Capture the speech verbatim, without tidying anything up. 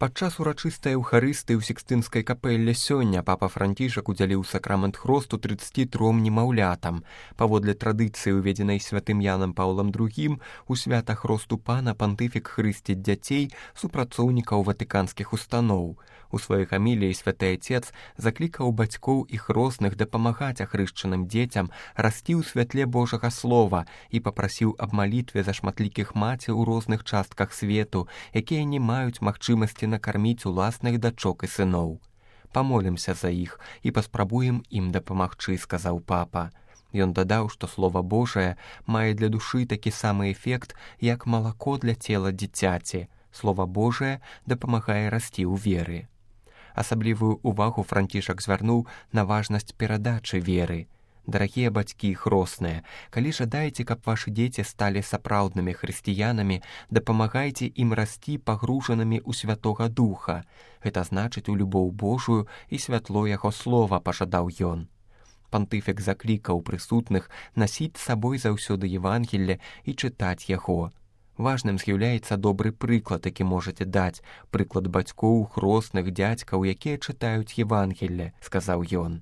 Падчас урачыстай эўхарыстыі ў Сікстынскай капэлле сёння папа Францішак удзяліў сакрамент хросту трыццаці тром немаўлятам. Паводле традыцыі, уведзенай святым Янам Паўлам другім, у свята хросту пана пантыфік хрысціць дзяцей супрацоўнікаў ватыканскіх устаноў. У сваёй гаміліі святы Ацец заклікаў бацькоў і хросных дапамагаць ахрышчаным дзецям расці ў святле Божага Слова і папрасіў аб малітве за шматлікіх маці ў розных частках свету, якія не маюць магчымасці накарміць уласных дачок і сыноў. Памолімся за іх і паспрабуем ім дапамагчы, сказаў папа. Ён дадаў, што Слова Божае мае для душы такі самы эфект, як малако для цела дзіцяці. Слова Божае дапамагае расці ў веры. Асаблівую ўвагу Францішак звярнуў на важнасць перадачы веры. Дарагія бацькі і хросныя, калі жадаеце, каб вашы дзеці сталі сапраўднымі хрысціянамі, дапамагайце ім расці пагружанымі ў Святога Духа. Гэта значыць у любоў Божую і святло яго слова, пажадаў ён. Пантыфік заклікаў прысутных насіць з сабой заўсёды Евангелле і чытаць яго. Важным з'яўляецца добры прыклад, які можаце даць, прыклад бацькоў, хросных, дзядзькаў, якія чытаюць Евангелле, сказаў ён.